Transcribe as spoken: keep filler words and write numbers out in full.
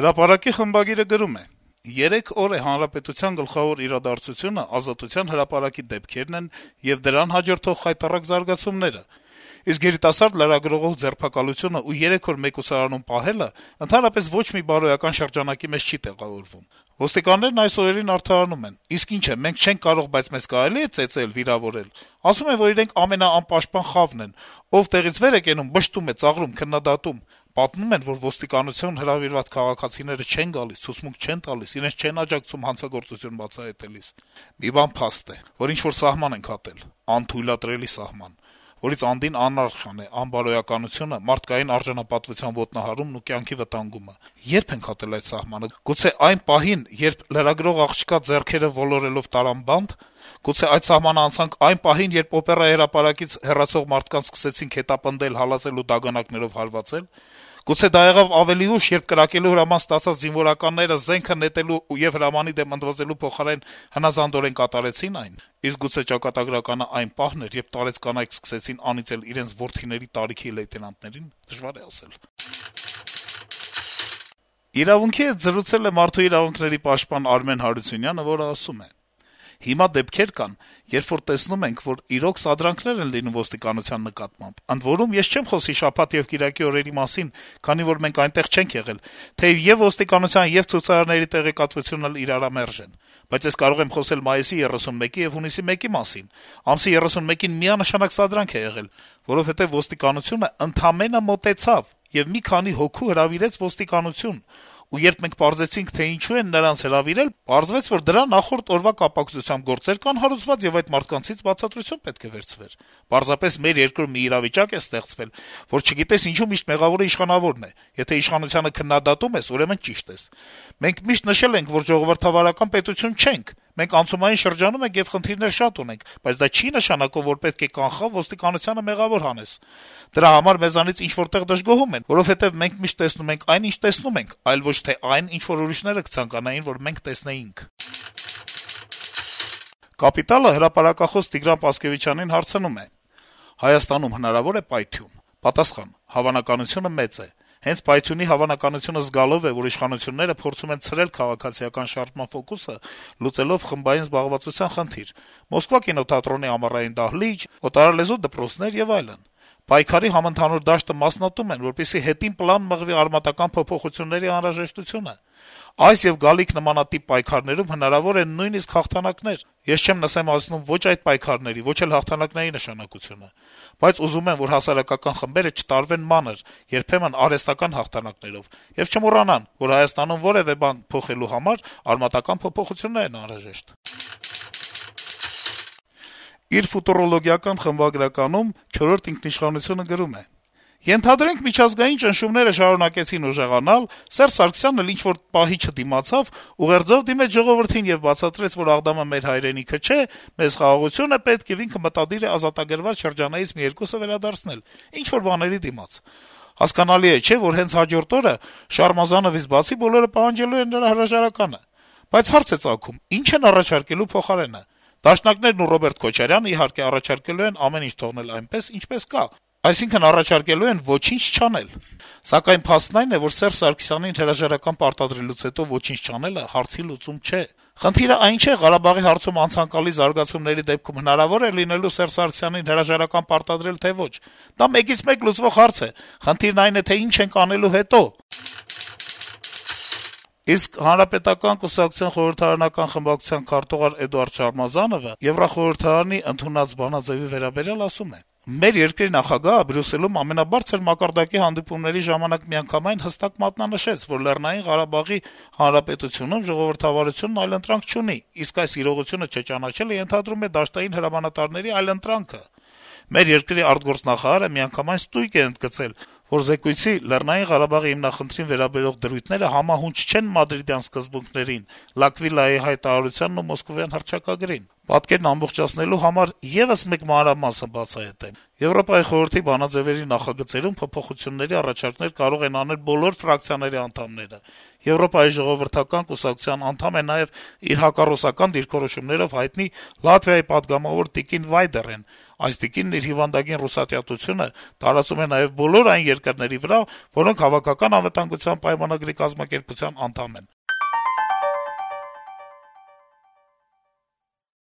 Հրապարակի խմբագիրը գրում է. - «Երեք օր է Հանրապետության գլխավոր իրադարձությունը Ազատության հրապարակի դեպքերն են եւ դրան հաջորդող խայտառակ զարգացումները: Իսկ երիտասարդ լրագրողով ձերբակալությունը ու երեք օր մեկուսարանում պահելը ընդհանրապես ոչ մի բարոյական շրջանակի մեջ չի տեղավորվում: Ոստիկաններն այս օրերին արդարանում են. իսկ ինչ է, մենք չենք կարող, բայց մեզ կարելի է ծեծել, վիրավորել: Ասում են, որ իրենք ամենաանպաշտպան խավն են: Ով տեղից վեր է կենում, բշտում է, ծաղրում, քննադատում: Պատմում են, որ ոստիկանություն հրավիրված քաղաքացիները չեն գալիս, ցուցմունք չեն տալիս, իրենց չեն աջակցում հանցագործություն բացահայտելիս: Մի բան փաստ է, որ ինչ-որ սահման ենք հատել, անթույլատրելի սահման, որից անդին անարխիան է, անբարոյականությունը, մարդկային արժանապատվության ոտնահարումն ու կյանքի վտանգումը: Ե՞րբ ենք հատել այդ սահմանը: Գուցե այն պահին, երբ լրագրող աղջկա ձեռքերը ոլորելով տարան բանտ: Գուցե այդ սահմանը անցանք այն պահին, երբ օպերայի հրապարակից հեռացող մարդկանց սկսեցինք հետապնդել, հալածել ու դագանակներով հարվածել: Գուցե դա եղավ ավելի ուշ, երբ կրակելու հրաման ստացած զինվորականները զենքը նետելու եւ հրամանի դեմ ընդվզելու փոխարեն հնազանդորեն կատարեցին այն: Իսկ գուցե ճակատագրականը այն պահն էր, երբ տարեց կանայք սկսեցին անիծել իրենց որդիների տարիքի լեյտենանտներին: Դժվար է ասել»: «Իրավունք»-ի հետ զրուցել է մարդու իրավունքների պաշտպան Արմեն Հարությունյանը, որը ասում է. - «Հիմա դեպքեր կան, երբ որ տեսնում ենք, որ իրոք սադրանքներ են լինում ոստիկանության նկատմամբ: Ընդ որում, ես չեմ խոսի շաբաթ եւ կիրակի օրերի մասին, քանի որ մենք այնտեղ չենք եղել, թեեւ եւ ոստիկանության, եւ ցուցարարների տեղեկատվությունն էլ իրարամերժ են: Բայց ես կարող եմ խոսել մայիսի երեսունմեկի եւ հունիսի մեկի մասին: Ամսի երեսունմեկին միանշանակ սադրանք է եղել, որովհետեւ ոստիկանությունը ընդամենը մոտեցավ եւ մի քանի հոգու հրավիրեց ոստիկանություն: Ու երբ մենք պարզեցինք, թե ինչու են նրանց հրավիրել, պարզվեց, որ դրա նախորդ օրվա կապակցությամբ գործեր կան հարուցված, եւ այդ մարդկանցից բացատրություն պետք է վերցվեր: Պարզապես մեր երկրում մի իրավիճակ է ստեղծվել, որ չգիտես ինչու միշտ մեղավորը իշխանավորն է: Եթե իշխանությանը քննադատում ես, ուրեմն ճիշտ ես: Մենք միշտ նշել ենք, որ ժողովրդավարական պետություն չենք: Մենք անցումային շրջանում ենք եւ խնդիրներ շատ ունենք, բայց դա չի նշանակում, որ պետք է կանխավ ոստիկանությանը մեղավոր հանես: Դրա համար մեզանից ինչ-որ տեղ դժգոհում են, որովհետեւ մենք միշտ տեսնում ենք այն, ինչ տեսնում ենք, այլ ոչ թե այն, ինչ որ ուրիշները կցանկանային, որ մենք տեսնեինք»: «Կապիտալ»-ը հրապարակախոս Տիգրան Պասկեւիչյանին հարցնում է. - «Հայաստանում հնարավո՞ր է պայթյուն»: Պատասխան. - «Հավանականությունը մեծ է: Հենց պայթյունի հավանականությունը զգալով է, որ իշխանությունները փորձում են ցրել քաղաքացիական շարժման ֆոկուսը` լուծելով խմբային զբաղվածության խնդիր` Մոսկվա կինոթատրոնի ամառային դահլիճ, օտարալեզու դպրոցներ եւ այլն: Պայքարի համընդհանուր դաշտը մասնատում են, որպեսզի հետին պլան մղվի արմատական փոփոխությունների անհրաժեշտությունը: Այս եւ գալիք նմանատիպ պայքարներում հնարավոր են նույնիսկ հաղթանակներ: Ես չեմ նսեմացնում ոչ այդ պայքարների, ոչ էլ հաղթանակների նշանակությունը: Բայց ուզում եմ, որ հասարակական խմբերը չտարվեն մանր, երբեմն արհեստական հաղթանակներով, եւ չմոռանան, որ Հայաստանում որեւէ բան փոխելու համար արմատական փոփոխություններ են անհրաժեշտ»: Իր ֆուտուրոլոգիական խմբագրականում «Չորրորդ ինքնիշխանություն»-ը գրում է. - «Ենթադրենք, միջազգային ճնշումները շարունակեցին ուժեղանալ, Սերժ Սարգսյանն էլ ինչ-որ պահի չդիմացավ, ուղերձով դիմեց ժողովրդին եւ բացատրեց, որ Աղդամը մեր հայրենիքը չէ, մեզ խաղաղություն է պետք, եւ ինքը մտադիր է ազատագրված շրջանայից մի երկուսը վերադարձնել, ինչ-որ բաների դիմաց: Հասկանալի է, չէ՞, որ հենց հաջորդ օրը Շարմազանովից բացի բոլորը պահանջելու են նրա հրաժարականը: Բայց հարց է ծագում` ի՞նչ են առաջարկելու փոխարենը: Դաշնակներն ու Ռոբերտ Քոչարյանը, իհարկե, առաջարկելու են ամեն ինչ թողնել այնպես, ինչպես կա, այսինքն` առաջարկելու են ոչինչ չանել: Սակայն փաստն այն է, որ Սերժ Սարգսյանին հրաժարական պարտադրելուց հետո ոչինչ չանելը հարցի լուծում չէ: Խնդիրը այն չէ` Ղարաբաղի հարցում անցանկալի զարգացումների դեպքում հնարավո՞ր է լինելու Սերժ Սարգսյանին հրաժարական պարտադրել, թե ոչ: Դա մեկից մեկ լուծվող հարց է: Խնդիրն այն է, թե ինչ ենք անելու հետո»: Իսկ Հանրապետական կուսակցության խորհրդարանական խմբակցության քարտուղար Էդուարդ Շարմազանովը Եվրախորհրդարանի ընդունած բանաձեւի վերաբերյալ ասում է. - «Մեր երկրի նախագահը Բրյուսելում ամենաբարձր մակարդակի հանդիպումների ժամանակ միանգամայն հստակ մատնանշեց, որ Լեռնային Ղարաբաղի Հանրապետությունում ժողովրդավարությունն այլընտրանք չունի, իսկ այս իրողությունը չճանաչելը ենթադրում է դաշտային հրամանատարների այլընտրանքը: Մեր երկրի արտգործնախարարը միանգամայն ստույգ է ընդգծել, որ զեկույցի Լեռնային Ղարաբաղի հիմնախնդրին վերաբերող դրույթները համահունչ չեն մադրիդյան սկզբունքներին, Լակվիլայի հայտարարությանն ու մոսկովյան հռչակագրին: Պատկերն ամբողջացնելու համար եւս մեկ մանրամասը բացահայտեմ. Եվրոպայի խորհրդի բանաձեւերի նախագծերում փոփոխությունների առաջարկներ կարող են անել բոլոր ֆրակցիաների անդամները: Եվրոպայի ժողովրդական կուսակցության անդամ է նաեւ իր հակառուսական դիրքորոշումներով հայտնի Լատվիայի պատգամավոր տիկին Վայդերեն: Այս տիկինն իր հիվանդագին ռուսատյատությունը տարածում է նաեւ բոլոր այն երկրների վրա, որոնք Հավաքական անվտանգության պայմանագրի կազմակերպության անդամ են»: